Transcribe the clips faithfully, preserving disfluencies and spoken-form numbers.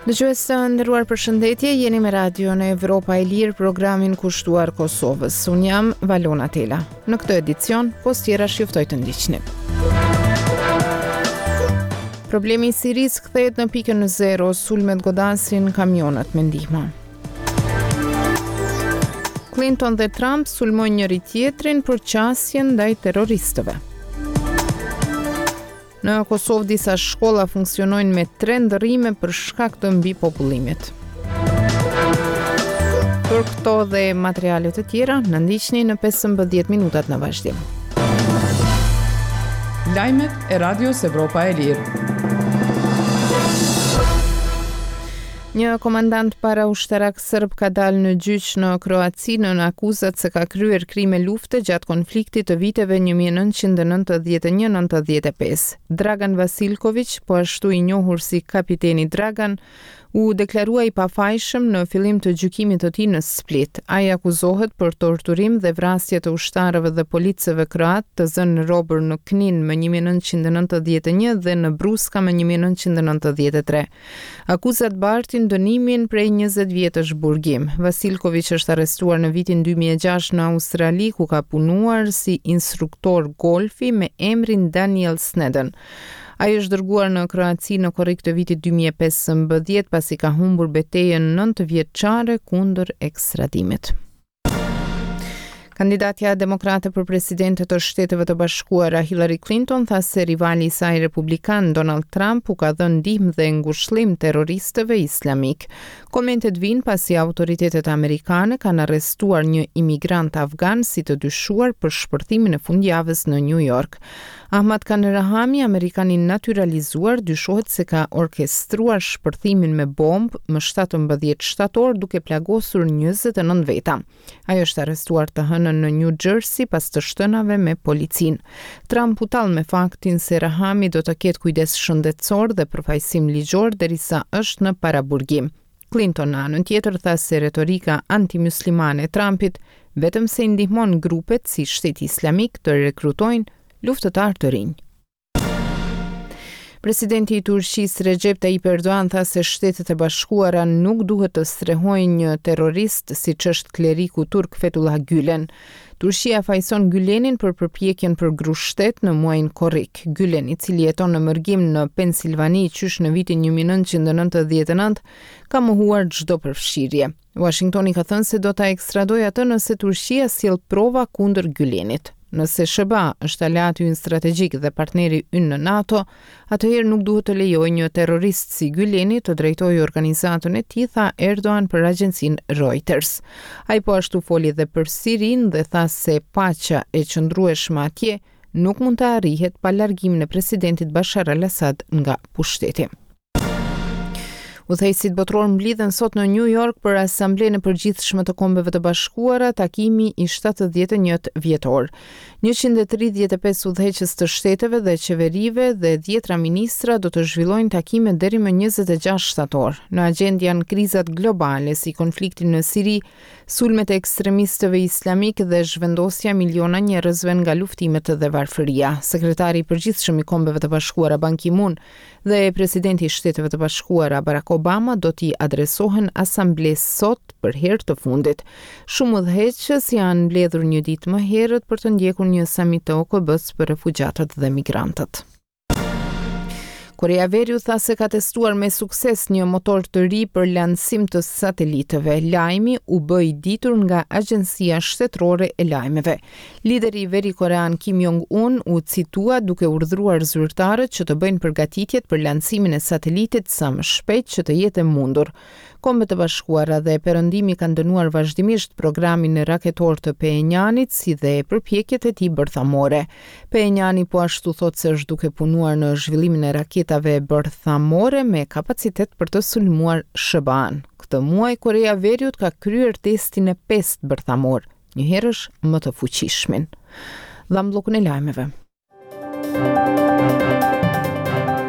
Dëgjues të nderuar, përshëndetje, jeni me Radion Evropa e Lirë, programin kushtuar Kosovës. Unë jam Valona Tela. Në këtë edicion, pos tjerash ju ftoj të ndiqni. Problemi i Sirisë kthehet në pikën zero, sulmet godasin kamionët me ndihma. Clinton dhe Trump sulmojnë njëri tjetrin për qasjen ndaj terroristëve. Në Kosovë disa shkolla funksionojnë me tre ndërrime për shkak të mbipopullimit. Për këto dhe materiale të tjera, na ndiqni në pesëmbëdhjetë minutat në vazhdim. Lajmet e Radios Evropa e Lirë. Një komandant paraushtarak serb ka dalë në gjyq në Kroaci nën akuzat se ka kryer krime lufte gjatë konfliktit të viteve një mijë e nëntëqind e nëntëdhjetë e një nëntëdhjetë e pesë. Dragan Vasilković, po ashtu i njohur si kapiteni Dragan, u deklarua i pafajshëm në fillim të gjykimit të tij në Split. Ai akuzohet për torturim dhe vrasje të ushtarëve dhe policëve kroat të zënë robër në Knin më një mijë e nëntëqind e nëntëdhjetë e një dhe në Bruska më një mijë e nëntëqind e nëntëdhjetë e tre. Akuzat bartin dënimin prej njëzet vjetësh burgim. Vasilković është arrestuar në vitin dy mijë e gjashtë në Australi, ku ka punuar si instruktor golfi me emrin Daniel Snedden. Ai është dërguar në Kroaci në korrik të vitit dy mijë e pesëmbëdhjetë pasi ka humbur betejën nëntë vjeçare kundër ekstradimit. Kandidatja demokrate për presidente të Shteteve të Bashkuara Hillary Clinton tha se rivali i saj republikan Donald Trump u ka dhënë ndihmë dhe ngushëllim terroristëve islamik. Komentet vijnë pasi autoritetet amerikane kanë arrestuar një imigrant afgan si të dyshuar për shpërthimin e fundjavës në New York. Ahmad Khan Rahami, amerikan i naturalizuar, dyshohet se ka orkestruar shpërthimin me bombë më shtatëmbëdhjetë shtator duke plagosur njëzet e nëntë veta. Ai është arrestuar të hënën në New Jersey pas të shtënave me policinë. Trump u tall me faktin se Rahami do të ketë kujdes shëndetësor dhe përfaqësim ligjor derisa është në paraburgim. Clinton në anën tjetër tha se retorika antimuslimane e Trumpit vetëm se i ndihmon grupet si Shteti Islamik të rekrutojnë luftëtar të rinj. Presidenti i Turqisë Recep Tayyip Erdogan tha se Shtetet e Bashkuara nuk duhet të strehojnë një terrorist siç është kleriku turk Fethullah Gülen. Turqia fajson Gülenin për përpjekjen për grushtet në muajin korrik. Gülen, i cili jeton në mërgim në Pensilvani qysh në vitin një mijë e nëntëqind e nëntëdhjetë e nëntë, ka mohuar çdo përfshirje. Washingtoni ka thënë se do ta ekstradojë atë nëse Turqia sjell prova kundër Gülenit. Nëse S B A është aleati ynë strategjik dhe partneri ynë në NATO, atëherë nuk duhet të lejojë një terrorist si Güleni të drejtojë organizatën e tij, tha Erdogan për agjencinë Reuters. Ai po ashtu foli dhe për Sirinë dhe tha se paqja e qëndrueshme atje nuk mund të arrihet pa largimin e presidentit Bashar al-Assad nga pushteti. Udhëheqësit botror mblidhen sot në New York për Asamblenë e Përgjithshme të Kombeve të Bashkuara, takimi i shtatëdhjetë e një vjetor. njëqind e tridhjetë e pesë udhëheqës të shteteve dhe qeverive dhe dhjetra ministra do të zhvillojnë takime deri më njëzet e gjashtë shtator. Në agjendë janë krizat globale si konflikti në Siri, sulmet e ekstremistëve islamik dhe zhvendosja miliona njerëzve nga luftimet dhe varfëria. Sekretari i Përgjithshëm i Kombeve të Bashkuara Ban Ki-moon dhe presidenti i Shteteve të Bashkuara Barack Obama do t'i adresohen asamblesë sot për herë të fundit. Shumë udhëheqës janë mbledhur një ditë më herët për të ndjekur një samit të O K B-s për refugjatët dhe migrantët. Korea Veriu tha se ka testuar me sukses një motor të ri për lansim të satelitëve. Lajmi u bë i ditur nga Agjencia Shtetërore e Lajmeve. Lideri veri korean Kim Jong-un u citua duke urdhëruar zyrtarët që të bëjnë përgatitjet për lansimin e satelitit sa më shpejt që të jetë e mundur. Kombet e Bashkuara dhe Perëndimi kanë dënuar vazhdimisht programin raketor të Phenjanit si dhe përpjekjet e tij bërthamore. Phenjani po ashtu thotë se është duke punuar në zhvillimin e raketave bërthamore me kapacitet për të sulmuar S B A-n. Këtë muaj Korea e Veriut ka kryer testin e pestë bërthamor, njëherësh më të fuqishmin. Dham bllokun e lajmeve.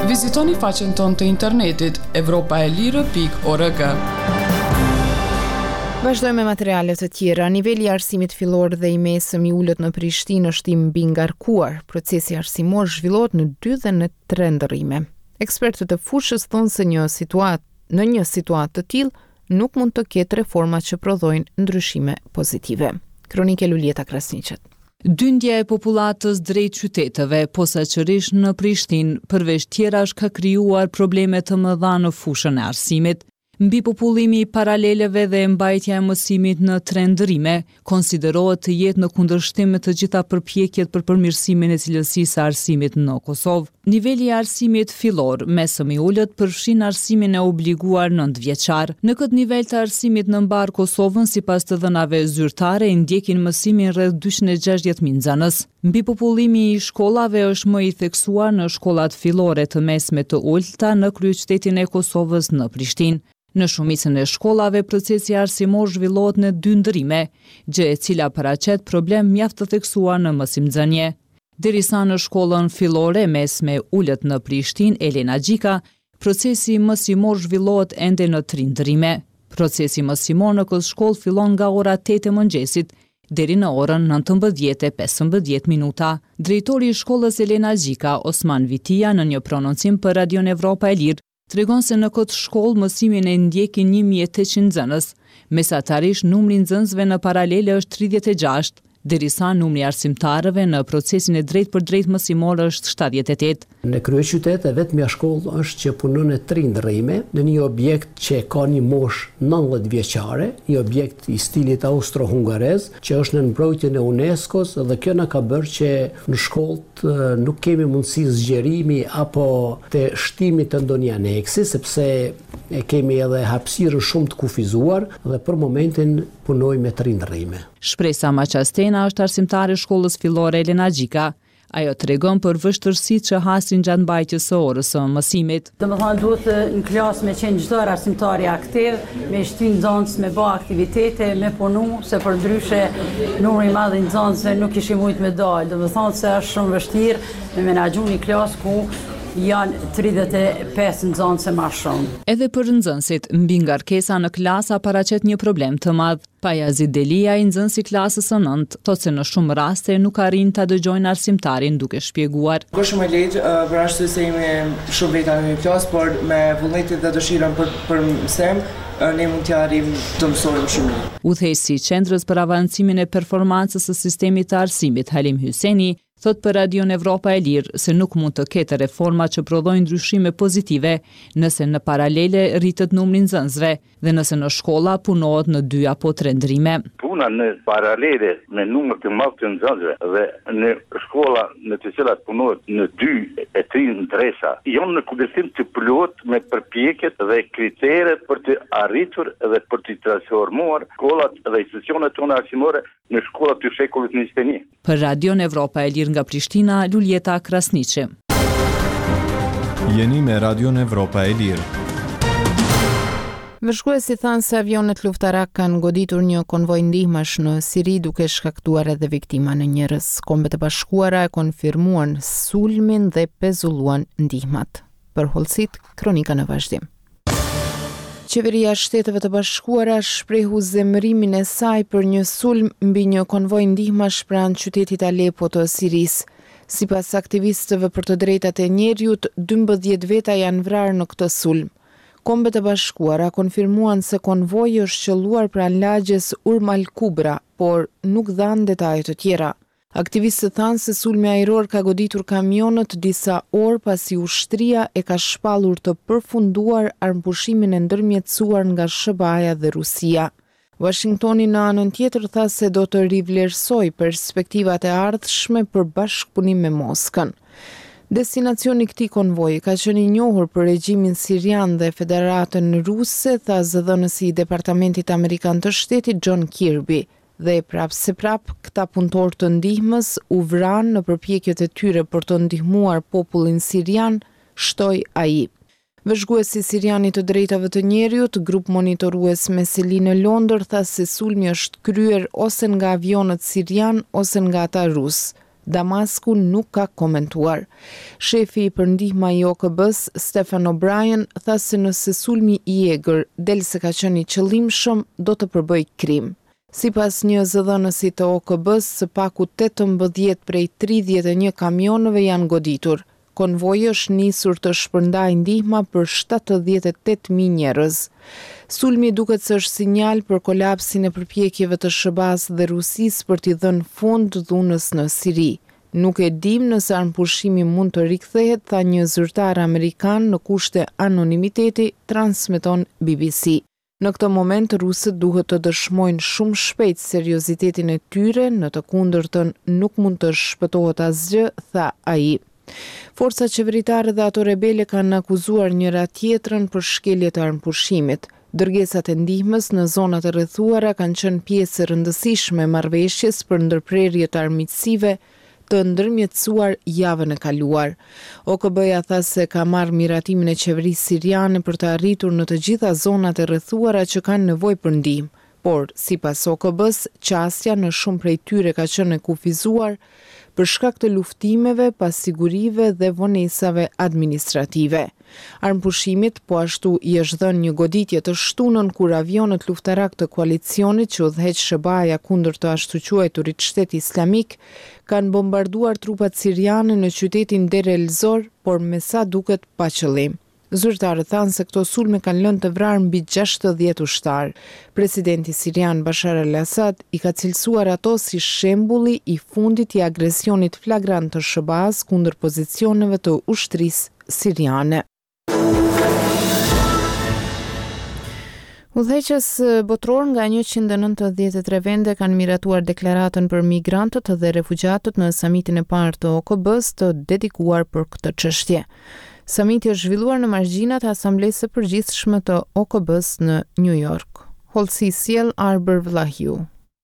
Vizitoni faqen tonë të internetit evropa e lirë pikë org. Vazhdojmë me materiale të tjera. Niveli i arsimit fillor dhe i mesëm i ulët në Prishtinë është i mbingarkuar. Procesi arsimor zhvillohet në dy dhe në tre ndërrime. Ekspertët e fushës thonë se një situatë në një situatë të tillë nuk mund të ketë reforma që prodhojnë ndryshime pozitive. Kronikë Luljeta Krasniqit. Dyndja e popullatës drejt qyteteve, posaçërisht në Prishtinë, përveç tjerash ka krijuar probleme të mëdha në fushën e arsimit. Mbipopullimi i paraleleve dhe mbajtja e mësimit në tre ndërrime konsiderohet të jetë në kundërshtim me të gjitha përpjekjet për përmirësimin e cilësisë së arsimit në Kosovë. Niveli i arsimit fillor, mesëm i ulët, përfshin arsimin e obliguar nëntë vjeçar. Në këtë nivel të arsimit në mbar Kosovën, sipas të dhënave zyrtare, ndjekin mësimin rreth dyqind e gjashtëdhjetë mijë nxënës. Mbipopullimi i shkollave është më i theksuar në shkollat fillore të mesme të ulëta në kryeqytetin e Kosovës në Prishtinë. Në shumicën e shkollave, procesi arsimor zhvillohet në dy ndërrime, gjë e cila paraqet problem mjaft të theksuar në mësimnxënie. Derisa në shkollën fillore mesme ulët në Prishtinë, Elena Gjika, procesi mësimor zhvillohet ende në tri ndërrime. Procesi mësimor në këtë shkollë fillon nga ora tetë e mëngjesit deri në orën nëntëmbëdhjetë e pesëmbëdhjetë minuta. Drejtori i shkollës Elena Gjika, Osman Vitia, në një prononcim për Radion Evropa e Lirë, tregon se në këtë shkollë mësimin e ndjekin një mijë e tetëqind nxënës. Mesatarisht numri i nxënësve në paralele është tridhjetë e gjashtë, derisa numri i arsimtarëve në procesin e drejtë për drejtë mësimor është shtatëdhjetë e tetë. Në kryeqytet e vetmja shkollë është që punon në tri ndërrime, në një objekt që ka një moshë nëntëdhjetë vjeçare, një objekt i stilit austro-hungarez, që është në mbrojtjen e UNESCO-s, dhe kjo na ka bërë që në shkollë nuk kemi mundësi zgjerimi apo të shtimit të ndonjë aneksi, sepse e kemi edhe hapësirën shumë të kufizuar dhe për momentin punojmë me tri ndërrime. Shpresa Maqastena është arsimtare e shkollës fillore Elena Gjika. Ajo tregon për vështirësitë që hasin gjatë mbajtjes së orës së mësimit. Do të thonë duhet në klasë me qenë çdo arsimtari aktiv, me shty nxënës, me bë aktivitete, me punu, se përndryshe numri i madh i nxënësve nuk kishim mujt me dalë. Do të thonë se është shumë vështirë me menaxhu një klasë ku janë tridhjetë e pesë nxënës e ma shumë. Edhe për nxënësit, mbi ngarkesa në klasa paraqet një problem të madh. Pajazit Delia, i nxënës i klasës së nëntë, thotë se në shumë raste nuk arrin ta dëgjojnë arsimtarin duke shpjeguar. Nuk është shumë e lehtë, për arsye se jemi shumë veta në një klasë, por me vullnetin dhe dëshirën për, për mësim, ne mund t'ja arrijmë të mësojmë shumë mirë. Udhëheqësi i Qendrës për Avancimin e Performancës së Sistemit të Arsimit, Halim Hyseni, thot për Radion Evropa e Lirë se nuk mund të ketë reforma që prodhojnë ndryshime pozitive nëse në paralele rritet numri i nxënësve dhe nëse në shkolla punohet në dy apo tre ndrime. Puna në paralele me numër të madh të nxënësve dhe në shkolla në të cilat punohet në dy e tri ndresa janë në kundërshtim të plotë me përpjekjet dhe kriteret për të arritur dhe për të transformuar shkollat dhe institucionet tona arsimore në shkollat të shekullit njëzet e një. Për Radion Evropa e Lirë nga Prishtina, Luljeta Krasniqi. Jeni me Radion Evropa e Lirë. Vëzhguesit thanë se avionët luftarak kanë goditur një konvoj ndihmash në Siri duke shkaktuar edhe viktima në njerëz. Kombet e Bashkuara e konfirmuan sulmin dhe pezulluan ndihmat. Për hollësit, kronika në vazhdim. Qeveria e Shteteve të Bashkuara shprehu zemërimin e saj për një sulm mbi një konvoj ndihmash pranë qytetit Aleppo të Sirisë. Sipas aktivistëve për të drejtat e njeriut, dymbëdhjetë veta janë vrarë në këtë sulm. Kombet e Bashkuara konfirmuan se konvoji është qelluar pranë lagjes Urm al-Kubra, por nuk dhanë detaje të tjera. Aktivistët thanë se sulmi ajror ka goditur kamionët disa orë pasi ushtria e ka shpallur të përfunduar armëpushimin e ndërmjetësuar nga S H B A-ja dhe Rusia. Washingtoni në anën tjetër tha se do të rivlerësojë perspektivat e ardhshme për bashkëpunim me Moskën. Destinacioni i këtij konvoji ka qenë i njohur për regjimin sirian dhe Federatën Ruse, tha zëdhënësi i Departamentit Amerikan të Shtetit John Kirby. Dhe prapë se prapë, këta punëtorë të ndihmës u vranë në përpjekjet e tyre për të ndihmuar popullin sirian, shtoi ai. Vëzhguesi sirian i të drejtave të njeriut, grup monitorues me seli në Londër, tha se sulmi është kryer ose nga avionët sirian ose nga ata rus. Damasku nuk ka komentuar. Shefi për ndihma i O K B-s, Stephen O'Brien, tha se nëse sulmi i egër del se ka qenë i qëllimshëm, do të përbëj krim. Sipas një zëdhënësi të O K B-s, së paku tetëmbëdhjetë prej tridhjetë e një kamionëve janë goditur. Konvoji është nisur të shpërndaj ndihma për shtatëdhjetë e tetë mijë njerëz. Sulmi duket se është sinjal për kolapsin e përpjekjeve të S H B A-s dhe Rusisë për t'i dhënë fund dhunës në Siri. "Nuk e dim nëse armëpushimi mund të rikthehet", tha një zyrtar amerikan në kushte anonimiteti, transmeton B B C. "Në këtë moment rusët duhet të dëshmojnë shumë shpejt seriozitetin e tyre, në të kundërtën nuk mund të shpëtohet asgjë", tha ai. Forcat qeveritare dhe ato rebele kanë akuzuar njëra tjetrën për shkelje të armëpushimit. Dërgesat e ndihmës në zonat e rrethuara kanë qenë pjesë e rëndësishme e marrëveshjes për ndërprerje të armiqësive të ndërmjetësuar javën e kaluar. O K B-ja tha se ka marrë miratimin e qeverisë siriane për të arritur në të gjitha zonat e rrethuara që kanë nevojë për ndihmë. Por, sipas O K B-s, qasja në shumë prej tyre ka qenë e kufizuar për shkak të luftimeve, pasigurive dhe vonesave administrative. Armëpushimit po ashtu i është dhënë një goditje të shtunën, kur avionët luftarak të koalicionit që udhëheq S H B A-ja kundër të ashtuquajturit Shteti Islamik kanë bombarduar trupat siriane në qytetin Deir el-Zor, por me sa duket pa qëllim. Zyrtarët thanë se këto sulme kanë lënë të vrarë mbi gjashtëdhjetë ushtarë. Presidenti sirian Bashar al-Assad i ka cilësuar ato si shembulli i fundit i agresionit flagrant të S H B A-s kundër pozicioneve të ushtrisë siriane. Udhëheqës botëror nga njëqind e nëntëdhjetë e tre vende kanë miratuar deklaratën për migrantët dhe refugjatët në samitin e parë të O K B-s të dedikuar për këtë çështje. Samiti është zhvilluar në margjinat e Asamblesë së Përgjithshme të O K B-s në New York. Hollësi sjell Arbër Vllahiu.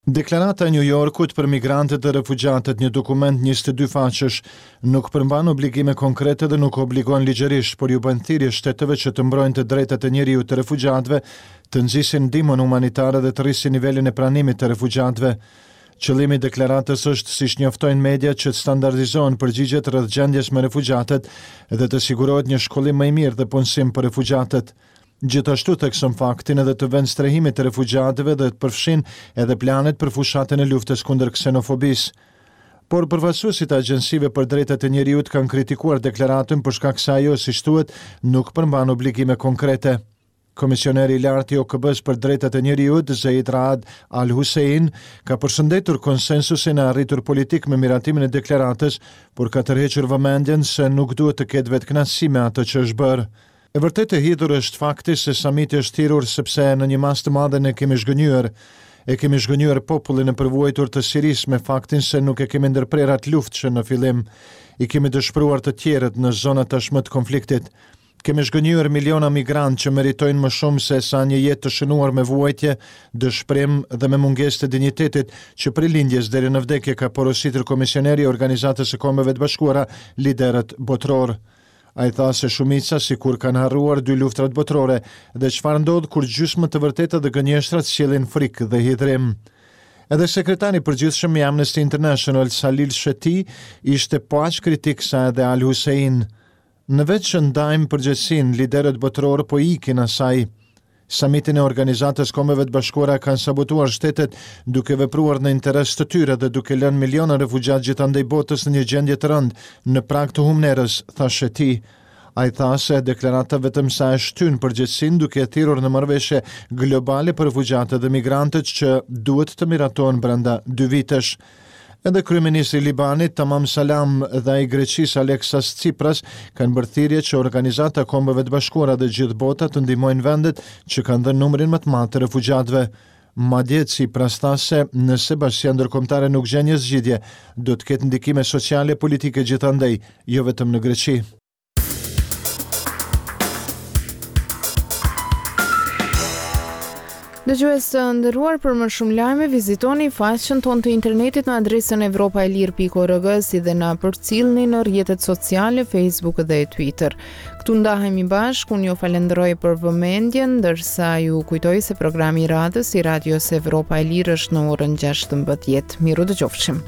Deklarata e New Yorkut për migrantët dhe refugjatët, një dokument njëzet e dy faqesh, nuk përmban obligime konkrete dhe nuk obligon ligjërisht, por ju bën thirrje shteteve që të mbrojnë të drejtat e njeriut të refugjatëve, të nxisin ndihmën humanitare dhe të rrisin nivelin e pranimit të refugjatëve. Qëllimi i deklaratës është, siç njoftojnë media, që të standardizohen përgjigjet rreth gjendjes me refugjatët dhe të sigurohet një shkollim më i mirë dhe punësim për refugjatët. Gjithashtu thekson faktin edhe të vend strehimit të refugjatëve dhe të përfshin edhe planet për fushatën e luftës kundër ksenofobisë. Por përfaqësuesit e agjencive për drejtat e njeriut kanë kritikuar deklaratën për shkak se ajo, siç thuhet, nuk përmban obligime konkrete. Komisioneri i lartë i O K B-s për drejtat e njeriut, Zeid Raad Al-Hussein, ka përshëndetur konsensusin e arritur politik me miratimin e deklaratës, por ka tërhequr vëmendjen se nuk duhet të ketë vetëkënaqësi me atë që është bërë. "E vërtetë e hidhur është fakti se samiti është thirrur sepse në një masë të madhe ne kemi zhgënjyer. E kemi zhgënjyer popullin e përvuajtur të Sirisë me faktin se nuk e kemi ndërprerë atë luftë që në fillim. I kemi dëshpëruar të tjerët në zonat tashmë të konfliktit. Kemi zhgënjyer miliona migrantë që meritojnë më shumë se sa një jetë të shënuar me vuajtje, dëshpërim dhe me mungesë të dinjitetit që prej lindjes deri në vdekje", ka porositur komisioneri i Organizatës së Kombeve të Bashkuara liderët botëror. Ai tha se shumica sikur kanë harruar dy luftrat botërore dhe çfarë ndodh kur gjysmë të vërteta dhe gënjeshtrat sjellin frikë dhe hidhrim. Edhe sekretari i përgjithshëm i Amnesty International, Salil Shetty, ishte po aq kritik sa edhe Al Hussein. "Në vend që ndajmë përgjegjësinë, liderët botëror po ikin asaj. Samitin e Organizatës Kombeve të Bashkuara kanë sabotuar shtetet duke vepruar në interes të tyre dhe duke lënë miliona refugjat gjithandej botës në një gjendje të rëndë, në prag të humnerës", tha Shetty. Ai tha se deklarata vetëm sa e shtyn përgjegjësinë, duke e thirrur në marrëveshje globale për refugjatët dhe migrantët që duhet të miratohen brenda dy vitesh. Edhe kryeministri i Libanit, Tamam Salam, dhe ai i Greqisë, Alexis Tsipras, kanë bërë thirrje që Organizata e Kombeve të Bashkuara dhe gjithë bota të ndihmojnë vendet që kanë dhënë numrin më të madh të refugjatëve. Madje Tsipras tha se nëse bashkësia ndërkombëtare nuk gjen një zgjidhje, do të ketë ndikime sociale e politike gjithandej, jo vetëm në Greqi. Dëgjues të nderuar, për më shumë lajme vizitoni faqen tonë të internetit në adresën evropaelir pikë org, si dhe na përcillni në rrjetet sociale Facebook dhe Twitter. Këtu ndahemi bashkë, unë ju falenderoj për vëmendjen, ndërsa ju kujtoj se programi i radhës i Radios Evropa e Lirë është në orën gjashtëmbëdhjetë. Miru dëgjofshim.